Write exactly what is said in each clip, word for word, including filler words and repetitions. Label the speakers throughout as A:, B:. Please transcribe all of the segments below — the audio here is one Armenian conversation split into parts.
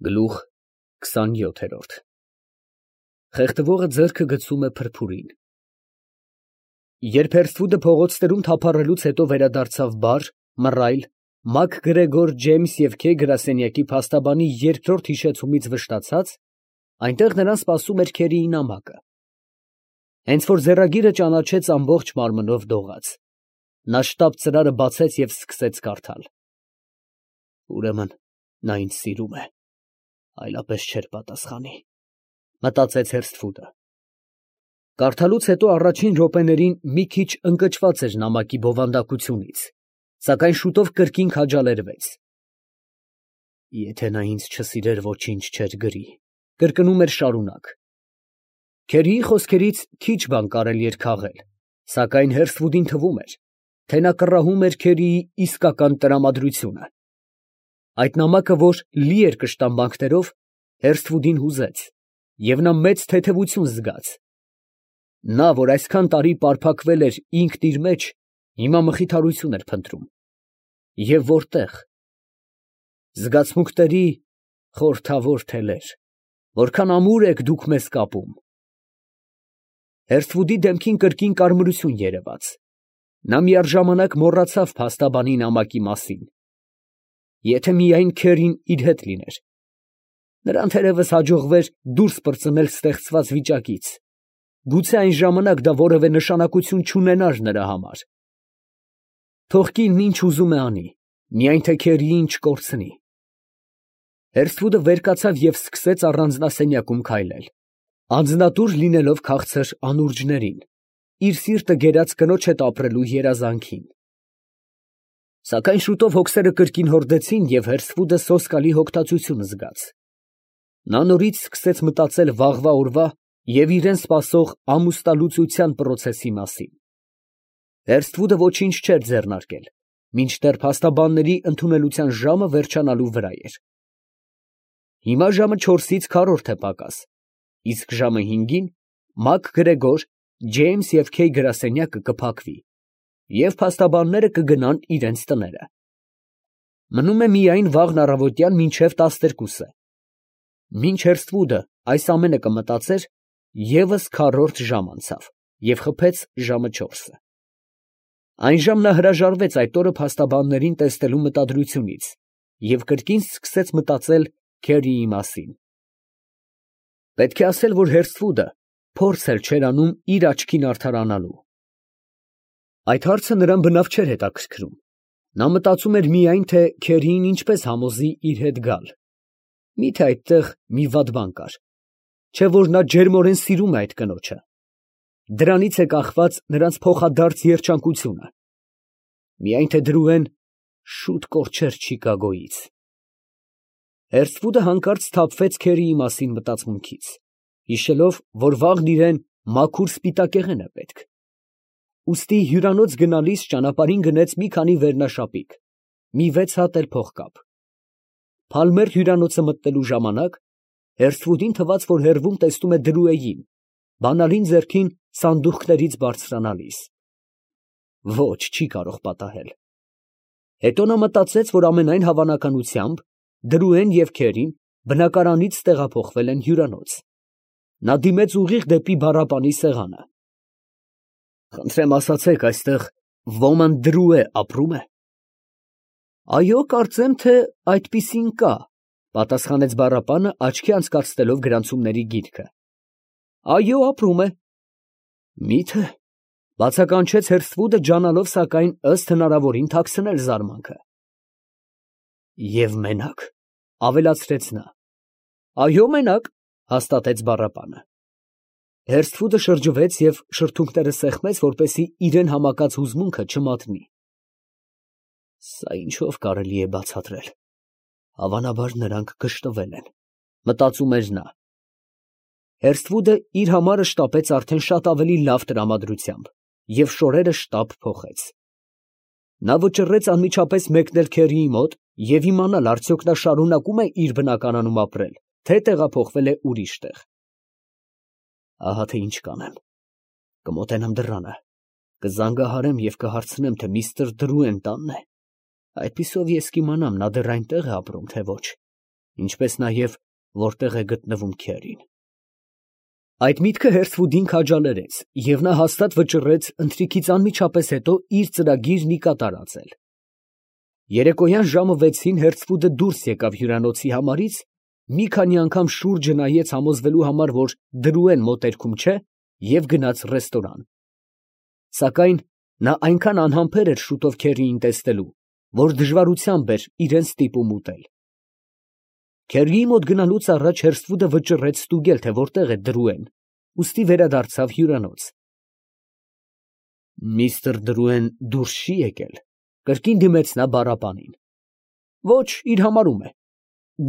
A: Գլուխ քսանյոթ։ Խեղդվողը ձեռքը գցում է փրփուրին։ Երբ Հերսթվուդը փողոցներում թափառելուց հետո վերադարձավ բար, մռայլ, Մակ Գրեգոր, Ջեյմս և Քեյ գրասենյակի փաստաբանի երկրորդ հիշեցումից վշտացած, այնտեղ նրան սպասում էր Քերիի նամակը։ Հենց որ ձեռագիրը ճանաչեց ամբողջ մարմնով դողաց, նա շտապ ծրարը բացեց և սկսեց կարդալ։ Ուրեմն նա ինձ սիրում է, այլապես չէր պատասխանի, մտածեց Հերսթվուդը։ Կարդալուց հետո առաջին րոպեներին մի քիչ ընկճված էր նամակի բովանդակությունից, սակայն շուտով կրկին քաջալերվեց։ Եթե նա ինձ չսիրեր, ոչինչ չէր գրի, կրկնում էր շարունակ։ Քերիի խոսքերից քիչ բան կարելի էր քաղել, սակայն Հերսթվուդին թվում էր, թե նա կռահում էր Քերիի իսկական տրամադրությունը։ Այդ նամակը, որ լի էր կշտամբանքներով, Հերսթվուդին հուզեց, և նա մեծ թեթևություն զգաց։ Նա, որ այսքան տարի պարփակվել էր ինքն իր մեջ, հիմա մխիթարություն էր փնտրում։ Եվ որտե՞ղ։ Զգացմունքների խորհրդավոր թելեր, որքան ամուր եք դուք մեզ կապում։ Հերսթվուդի դեմքին կրկին կարմրություն երևաց։ Նա միաժամանակ մոռացավ փաստաբանի նամակի մասին։ Եթե միայն Քերին իր հետ լիներ, նրան թերևս հաջողվեր դուրս պրծնել ստեղծված վիճակից, գուցե այն ժամանակ դա որևէ նշանակություն չունենար նրա համար։ Թող կինն ինչ ուզում է անի, միայն թե Քերիին չկորցնի։ Հերսթվուդը վեր կացավ և սկսեց առանձնասենյակում քայլել, անձնատուր լինելով քաղցր անուրջներին, իր սիրտը կերած կնոջ հետ ապրելու երազանքին։ Սակայն շուտով հոգսերը կրկին հորդեցին, և Հերսթվուդը սոսկալի հոգտացություն զգաց։ Նա նորից սկսեց մտածել վաղվա օրվա և իրան սպասող ամուսնալուծության պրոցեսի մասին։ Հերսթվուդը ոչինչ չէր ձեռնարկել, մինչդեռ փաստաբանների ընդունելության ժամը վերջանալու վրա էր։ Հիմա ժամը չորսից քառորդ է պակաս, իսկ ժամը հինգին Մակ Գրեգոր, Ջեյմս և Քեյ գրասենյակը կփակվի, և փաստաբանները կգնան իրենց տները։ Մնում է միայն վաղն առավոտյան մինչև տասներկուսը։ Մինչ Հերսթվուդը այս ամենը կմտածեր, ևս քառորդ ժամ անցավ և խփեց ժամը չորսը։ Այնժամ նա հրաժարվեց այդ օրը փաստաբաններին տեսնելու մտադրությունից և կրկին սկսեց մտածել Քերիի մասին։ Պետք է ասել, որ Հերսթվուդը փորձ էլ չէր անում իր աչքին արդարանալու։ Այդ հարցը նրան բնավ չէր հետաքրքրում։ Նա մտածում էր միայն, թե Քերիին ինչպես համոզի իր հետ գալ։ Մի՞թե այդտեղ մի վատ բան կար, չէ՞ որ նա ջերմորեն սիրում է այդ կնոջը։ Դրանից է կախված նրանց փոխադարձ երջանկությունը։ Միայն թե դրուեն շուտ կորչեր Չիկագոյից։ Հերսթվուդը հանկարծ սթափվեց Քերիի մասին մտածմունքից, հիշելով, որ վաղն իրան մաքուր սպիտակեղեն է պետք։ Ուստի հյուրանոց գնալիս ճանապարհին գնեց մի քանի վերնաշապիկ, մի վեց հատ էլ փողկապ։ Փալմեր հյուրանոցը մտնելու ժամանակ Հերսթվուդին թվաց, որ հեռվում տեսնում է Դրուեին, բանալին ձեռքին սանդուղքներից բարձրանալիս։ Ոչ, չի կարող պատահել։ Հետո նա մտածեց, որ ամենայն հավանականությամբ Դրուեն և Քերին բնակարանից տեղափոխվել են հյուրանոց։ Նա դիմեց ուղիղ դեպի բառապանի սեղանը։ Խնդրեմ ասացեք, այստեղ ոման Դրուե ապրո՞ւմ է։ Այո, կարծեմ, թե այդպիսին կա, պատասխանեց բառապանը, աչքի անցկացնելով գրանցումների գիրքը։ Այո, ապրում է։ Մի՞թե, բացականչեց Հերսթվուդը, ջանալով սակայն ըստ հնարավորին թաքցնել զարմանքը։ Եվ մենակ, ավելացրեց նա։ Այո, մենակ, հաստատեց բառապանը։ Հերսթվուդը շրջվեց և շրթունքները սեղմեց, որպեսզի իրան համակած հուզմունքը չմատնի։ Սա ինչով կարելի է բացատրել։ Հավանաբար նրանք գժտվել են, մտածում էր նա։ Հերսթվուդը իր համարը շտապեց արդեն շատ ավելի լավ տրամադրությամբ և շորերը շտապ փոխեց։ Նա վճռեց անմիջապես մեկնել Քերիի մոտ և իմանալ, արդյոք նա շարունակում է իր բնակարանում ապրել, թե տեղափոխվել է ուրիշ տեղ։ Ահա թե ինչ կանեմ. կմոտենամ դռանը, կզանգահարեմ և կհարցնեմ, թե միստր Դրուեն տանն է։ Այդպիսով ես կիմանամ, նա դեռ այնտեղ է ապրում, թե ոչ։ ինչպես նաև որտեղ է գտնվում Քերին։ Այդ միտքը Հերթվուդին քաջալերեց, և նա հաստատ վճռեց ընթրիքից անմիջապես հետո իր ծրագիրն ի կատար ածել։ Երեկոյան ժամը վեցին Հերթվուդը դուրս եկավ հյուրանոցի համարից, մի քանի անգամ շուրջը նայեց համոզվելու համար, որ Դրուեն մոտերքում չէ, և գնաց ռեստորան։ Սակայն նա այնքան անհամբեր էր շուտով Քերիին տեսնելու, որ դժվարությամբ էր իրան ստիպում ուտել։ Քերիի մոտ գնալուց առաջ Հերթվուդը վճռեց ստուգել, թե որտեղ է Դրուեն, ուստի վերադարձավ հյուրանոց։ Միստր Դրուեն դուրս չի եկել, կրկին դիմեց նա բառապանին։ Ոչ, իր համարում է։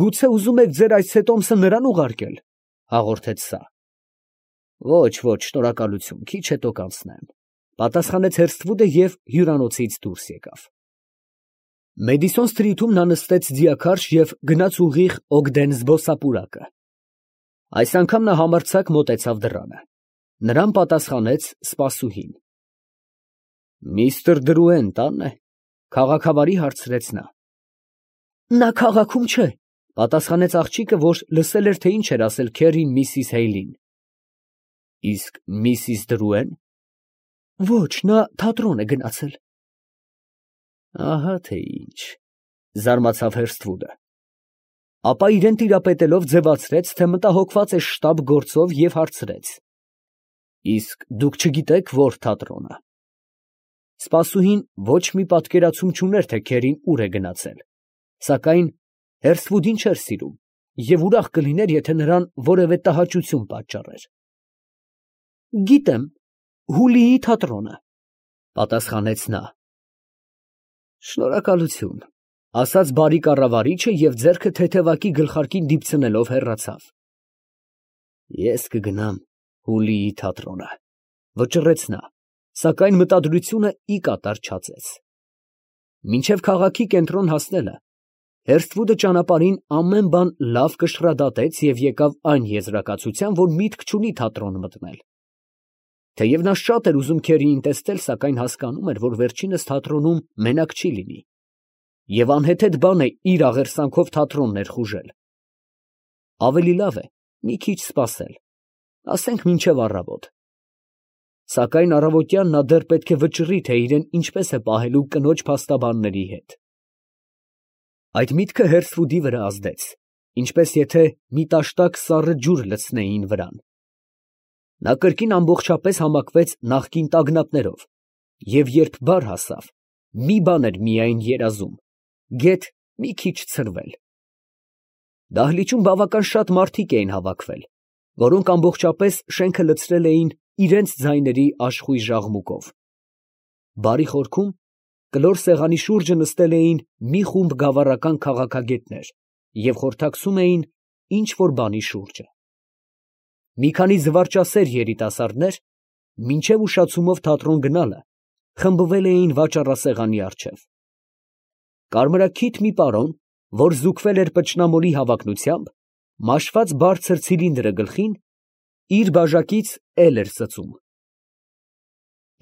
A: Գուցե ուզում եք ձեր այս սետոմսը նրան ուղարկել, հաղորդեց սա։ Ոչ, ոչ, շնորհակալություն, քիչ հետո կանցնեմ, պատասխանեց Հերթվուդը և հյուրանոցից դուրս եկավ։ Մեդիսոն սթրիթում նա նստեց ձիաքարշ և գնաց ուղիղ Օգդեն զբոսապուրակը։ Այս անգամ նա համարձակ մոտեցավ դռանը։ Նրան պատասխանեց սպասուհին։ Միստր Դրուեն տա՞նն է, քաղաքավարի հարցրեց նա։ Նա քաղաքում չէ, պատասխանեց աղջիկը, որ լսել էր, թե ինչ էր ասել Քերին միսիս Հեյլին։ Իսկ միսիս Դրուեն։ Ոչ, նա թատրոն է գնացել։ Ահա թե ինչ, զարմացավ Հերթվուդը։ Ապա իրան տիրապետելով ձևացրեց, թե մտահոգված է շտապ գործով և հարցրեց. Իսկ դուք չգիտեք, որ թատրոնը։ Սպասուհին ոչ մի պատկերացում չուներ, թե Քերին ուր է գնացել, սակայն Հերթվուդին չէր սիրում և ուրախ կլիներ, եթե նրան որևէ տհաճություն պատճառեր։ Գիտեմ, Հուլիի թատրոնը, պատասխանեց նա։ Շնորհակալություն, ասաց բարի կառավարիչը և ձեռքը թեթևակի գլխարկին դիպցնելով հեռացավ։ Ես կգնամ Հուլիի թատրոնը, վճռեց նա, սակայն մտադրությունը ի կատար չածեց։ Մինչև քաղաքի կենտրոն հասնելը Հերթվուդը ճանապարհին ամեն բան լավ կշռադատեց և եկավ այն եզրակացության, որ միտք չունի թատրոն մտնել։ Թեև նա շատ էր ուզում Քերիին տեսնել, սակայն հասկանում էր, որ վերջինս թատրոնում մենակ չի լինի, և անհեթեթ բան է իր աղերսանքով թատրոն ներխուժել։ Ավելի լավ է մի քիչ սպասել, ասենք մինչև առավոտ։ Սակայն առավոտյան նա դեռ պետք է վճռի, թե իրեն ինչպես է պահելու կնոջ փաստաբանների հետ։ Այդ միտքը Հերթվուդի վրա ազդեց, ինչպես եթե մի տաշտակ սառը ջուր լցնեին վրան։ Նա կրկին ամբողջապես համակվեց նախկին տագնապներով, և երբ բար հասավ, մի բան էր միայն երազում, գեթ մի քիչ ցրվել։ Դահլիճում բավական շատ մարդիկ էին հավաքվել, որոնք ամբողջապես շենքը լցրել էին իրենց ձայների աշխույժ աղմուկով։ Բարի խորքում կլոր սեղանի շուրջը նստել էին մի խումբ գավառական քաղաքագետներ և խորհրդակցում էին ինչ֊որ բանի շուրջը։ Մի քանի զվարճասեր երիտասարդներ, մինչև ուշացումով թատրոն գնալը, խմբվել էին վաճառասեղանի առջև։ Կարմրաքիթ մի պարոն, որ զուգվել էր պճնամորի հավակնությամբ, մաշված բարձր ցիլինդրը գլխին, իր բաժակից էլ էր ծծում։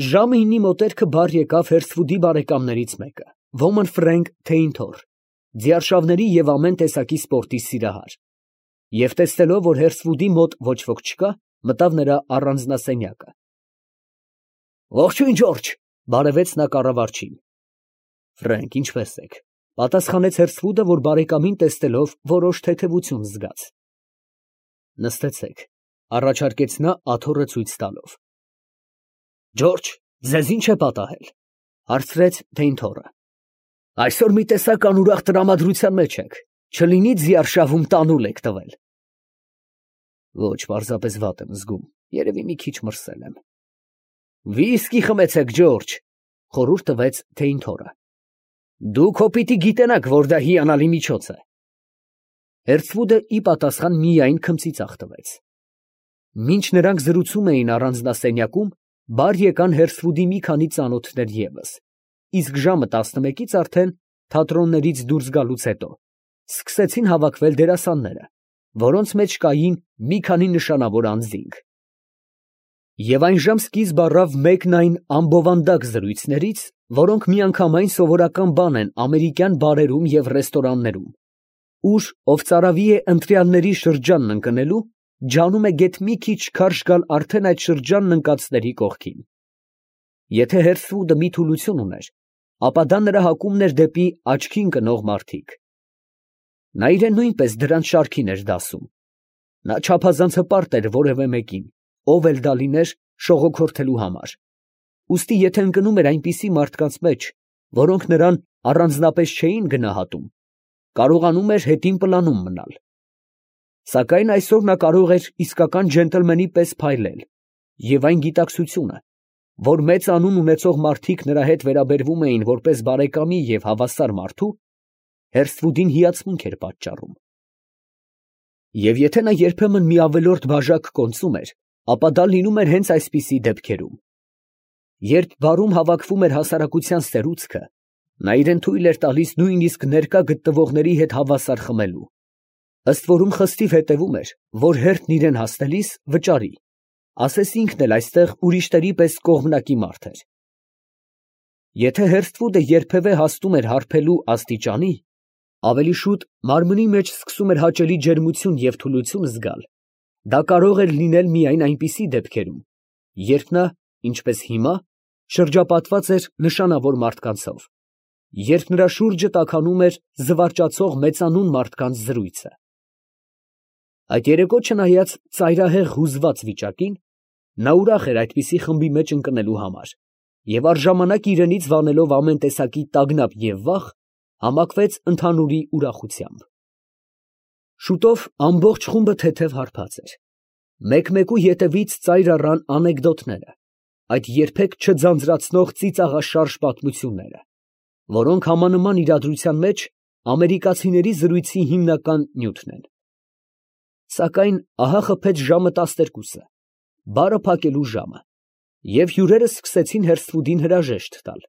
A: Ժամը ինի մոտերքը բար եկավ Հերթվուդի բարեկամներից մեկը, ոմն Ֆրենկ Թեյնթոռ, ձիարշավների և ամեն տեսակի սպորտի սիրահար, և տեսնելով, որ Հերթվուդի մոտ ոչ ոք չկա, մտավ նրա առանձնասենյակը։ Ողջույն, Ջորջ, բարևեց նա կառավարչին։ Ֆրենկ, ինչպե՞ս եք, պատասխանեց Հերթվուդը, որ բարեկամին տեսնելով որոշ թեթևություն զգաց։ Նստեցեք, առաջարկեց նա աթոռը ցույց տալով։ Ջորջ, ձեզ ի՞նչ է պատահել, հարցրեց Թեյնթոռը։ Այսօր մի տեսակ անուրախ տրամադրության մեջ եք, չլինի ձիարշավում տանուլ եք տվել։ Ոչ, պարզապես վատ եմ զգում, երևի մի քիչ մրսել եմ։ Վիսկի խմեցեք, Ջորջ, խորհուրդ տվեց Թեյնթոռը։ Դուք հո պիտի գիտենաք, որ դա հիանալի միջոց է։ Հերթվուդը ի պատասխան միայն քմծիծաղ տվեց։ Մինչ նրանք զրուցում էին առանձնասենյակում, բար եկան Հերթվուդի մի քանի ծանոթներ ևս, իսկ ժամը տասնմեկից արդեն, թատրոններից դուրս գալուց հետո, սկսեցին հավաքվել դերասանները, որոնց մեջ կային մի քանի նշանավոր անձինք։ Եվ այն ժամ սկիզբ առավ մեկն այն ամբովանդակ զրույցներից, որոնք միանգամայն սովորական բան են ամերիկյան բարերում և ռեստորաններում, ուր, ով ծարավի է ընտրյալների շրջանն ընկնելու, ջանում է գեթ մի քիչ քարշ գալ արդեն այդ շրջանն ընկածների կողքին։ Եթե Հերսվուդը մի թուլություն ուներ, ապա դա նրա հակումն էր դեպի աչքի ընկնող մարդիկ։ Նա իրեն նույնպես դրանց շարքին էր դասում։ Նա չափազանց հպարտ էր որևէ մեկին, ով էլ դա լիներ, շողոքորթելու համար։ Ուստի եթե ընկնում էր այնպիսի մարդկանց մեջ, որոնք նրան առանձնապես չէին գնահատում, կարողանում էր հետին պլանում մնալ։ Սակայն այսօր նա կարող էր իսկական ջենտլմենի պես փայլել, և այն գիտակցությունը, որ մեծ անուն ունեցող մարդիկ նրա հետ վերաբերվում էին որպես բարեկամի և հավասար մարդու, Հերսվուդին հիացմունք էր պատճառում։ Եվ եթե նա երբեմն մի ավելորդ բաժակ կոնծում էր, ապա դա լինում էր հենց այսպիսի դեպքերում։ Երբ բարում հավաքվում էր հասարակության սերուցքը, նա իրեն թույլ էր տալիս նույնիսկ ներկա գտնվողների հետ հավասար խմելու, ըստ որում խստիվ հետևում էր, որ հերթն իրեն հասնելիս վճարի, ասես ինքն էլ այստեղ ուրիշների պես կողմնակի մարդ էր։ Եթե Հերսվուդը երբևէ հասնում էր հարբելու աստիճանի, ավելի շուտ մարմնի մեջ սկսում էր հաճելի ջերմություն և թուլություն զգալ, դա կարող էր լինել միայն այնպիսի դեպքերում, երբ նա, ինչպես հիմա, շրջապատված էր նշանավոր մարդկանցով, երբ նրա շուրջը տաքանում էր զվարճացող մեծանուն մարդկանց զրույցը։ Այդ երեկո չնայած ծայրահեղ հուզված վիճակին, նա ուրախ էր այդպիսի խմբի մեջ ընկնելու համար և առժամանակ իրենից վանելով ամեն տեսակի տագնապ և վախ, համակվեց ընդհանուրի ուրախությամբ։ Շուտով ամբողջ խումբը թեթև հարբած էր։ Մեկ֊մեկու ետևից ծայր առան անեկդոտները, այդ երբեք չձանձրացնող ծիծաղաշարժ պատմությունները, որոնք համանման իրադրության մեջ ամերիկացիների զրույցի հիմնական նյութն են։ Սակայն ահա խփեց ժամը տասներկուսը, բարը փակելու ժամը, և հյուրերը սկսեցին Հերսվուդին հրաժեշտ տալ։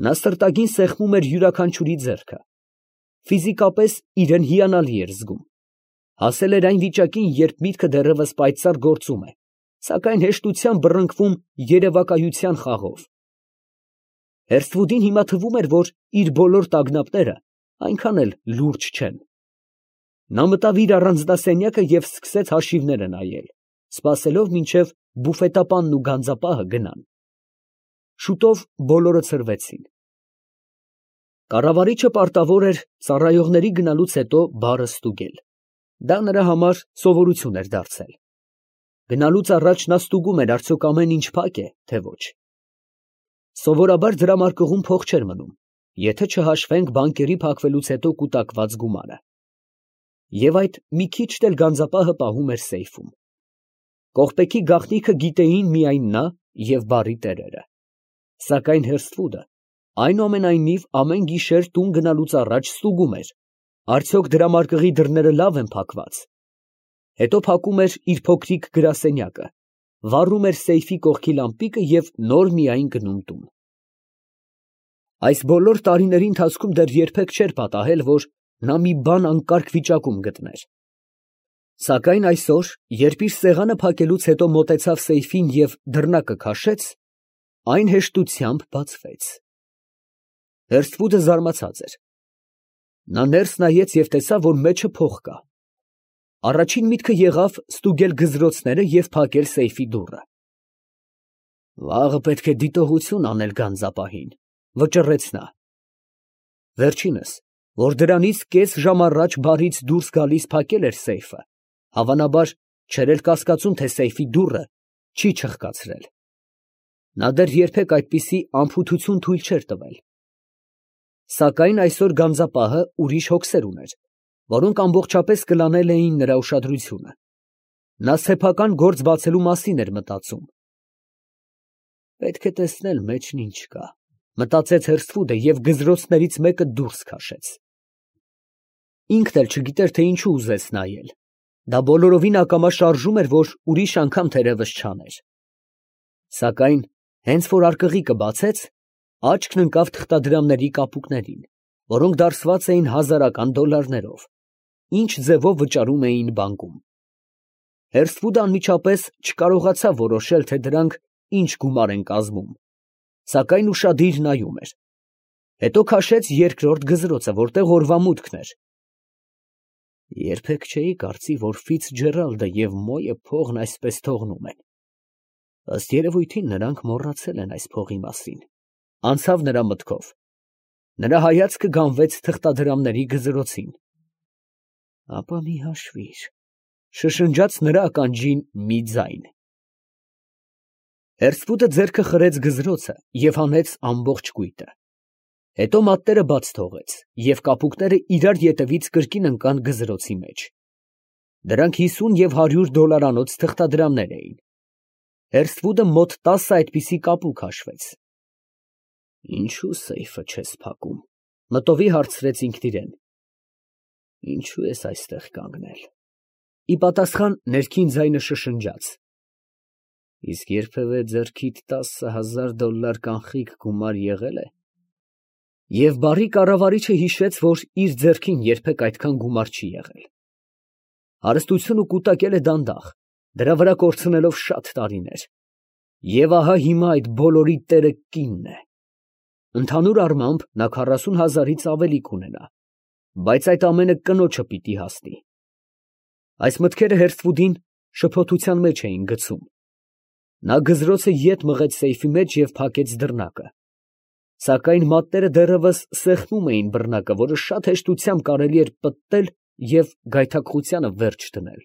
A: Նա սրտագին սեղմում էր յուրաքանչյուրի ձեռքը, ֆիզիկապես իրեն հիանալի էր զգում, հասել էր այն վիճակին, երբ միտքը դեռևս պայծառ գործում է, սակայն հեշտությամբ բռնկվում երևակայության խաղով։ Հերսվուդին հիմա թվում էր, որ իր բոլոր տագնապները այնքան էլ լուրջ չեն։ Նա մտավ իր առանձնասենյակը և սկսեց հաշիվները նայել, սպասելով մինչև բուֆետապանն ու գանձապահը գնան։ Շուտով բոլորը ցրվեցին։ Կառավարիչը պարտավոր էր ծառայողների գնալուց հետո բարը ստուգել։ Դա նրա համար սովորություն էր դարձել։ Գնալուց առաջ նա ստուգում էր, արդյոք ամեն ինչ փակ է, թե ոչ։ Սովորաբար դրամարկղում փող չէր մնում, եթե չհաշվենք բանկերի փակվելուց հետո կուտակված գումարը։ Եվ այդ մի քիչն էլ գանձապահը պահում էր սեյֆում։ Կողպեքի գաղտնիքը գիտեին միայն նա և բարի տերերը։ Սակայն Հերսվուդը այնուամենայնիվ ամեն գիշեր տուն գնալուց առաջ ստուգում էր, արդյոք դրամարկղի դռները լավ են փակված։ Հետո փակում էր իր փոքրիկ գրասենյակը, վառում էր սեյֆի կողքի լամպիկը և նոր միայն գնում տուն։ Այս բոլոր տարիների ընթացքում դեռ երբեք չէր պատահել, որ նա մի բան անկարգ վիճակում գտներ։ Սակայն այսօր, երբ իր սեղանը փակելուց հետո մոտեցավ սեյֆին և դռնակը քաշեց, այն հեշտությամբ բացվեց։ Հերսվուդը զարմացած էր։ Նա ներս նայեց և տեսավ, որ մեջը փող կա։ Առաջին միտքը եղավ ստուգել գզրոցները և փակել սեյֆի դուռը։ Վաղը պետք է դիտողություն անել գանձապահին, վճռեց նա։ Վերջինս, որ դրանից կես ժամ առաջ բարից դուրս գալիս փակել էր սեյֆը, հավանաբար չէր էլ կասկածում, թե սեյֆի դուռը չի չխկացրել։ Նա դեռ երբեք այդպիսի անփութություն թույլ չէր տվել։ Սակայն այսօր գանձապահը ուրիշ հոգսեր ուներ, որոնք ամբողջապես կլանել էին նրա ուշադրությունը։ Նա սեփական գործ բացելու մասին էր մտածում։ Պետք է տեսնել մեջն ինչ կա, մտածեց Հերսվուդը և գզրոցներից մեկը դուրս քաշեց։ Ինքն էլ չգիտեր, թե ինչու ուզեց նայել։ Դա բոլորովին ակամա շարժում էր, որ ուրիշ անգամ թերևս չաներ։ Սակայն հենց որ արկղիկը բացեց, աչքն ընկավ թղթադրամների կապուկներին, որոնք դարսված էին հազարական դոլարներով, ինչ ձևով վճարում էին բանկում։ Հերսվուդը անմիջապես չկարողացավ որոշել, թե դրանք ինչ գումար են կազմում, սակայն ուշադիր նայում էր։ Հետո քաշեց երկրորդ գզրոցը, որտեղ օրվա մուտքն էր, Երբեք չէի կարծի, որ Ֆիցջերալդը և Մոյը փողն այսպես թողնում են։ Ըստ երևույթին, նրանք մոռացել են այս փողի մասին, անցավ նրա մտքով։ Նրա հայացքը գանվեց թղթադրամների գզրոցին։ Ապա մի հաշվիր, շշնջաց նրա ականջին մի ձայն։ Հերսպուտը ձեռքը խրեց գզրոցը և հանեց ամբողջ կույտը։ Հետո մատները բաց թողեց, և կապուկները իրար ետևից կրկին ընկան գզրոցի մեջ։ Դրանք հիսուն և հարյուր դոլարանոց թղթադրամներ էին։ Հերստվուդը մոտ տասը այդպիսի կապուկ հաշվեց։ Ինչո՞ւ սեյֆը չես փակում, մտովի հարցրեց ինքն իրան։ Ինչո՞ւ ես այստեղ կանգնել։ Ի պատասխան ներքին ձայնը շշնջաց. Իսկ երբևէ ձեռքիդ տասը հազար դոլլար կանխիկ գումար եղե՞լ է։ Եվ բարի կառավարիչը հիշեց, որ իր ձեռքին երբեք այդքան գումար չի եղել։ Հարստությունը կուտակել է դանդաղ, դրա վրա կորցնելով շատ տարիներ։ Եվ ահա հիմա այդ բոլորի տերը կինն է։ Ընդհանուր առմամբ նա քառասուն հազարից ավելի կունենա, բայց այդ ամենը կնոջը պիտի հասնի։ Այս մտքերը Հերստվուդին շփոթության մեջ էին գցում։ Նա գզրոցը ետ մղեց սեյֆի մեջ և փակեց դռնակը։ Սակայն մատները դեռևս սեղմում էին բռնակը, որը շատ հեշտությամբ կարելի էր պտտել և գայթակղությանը վերջ դնել։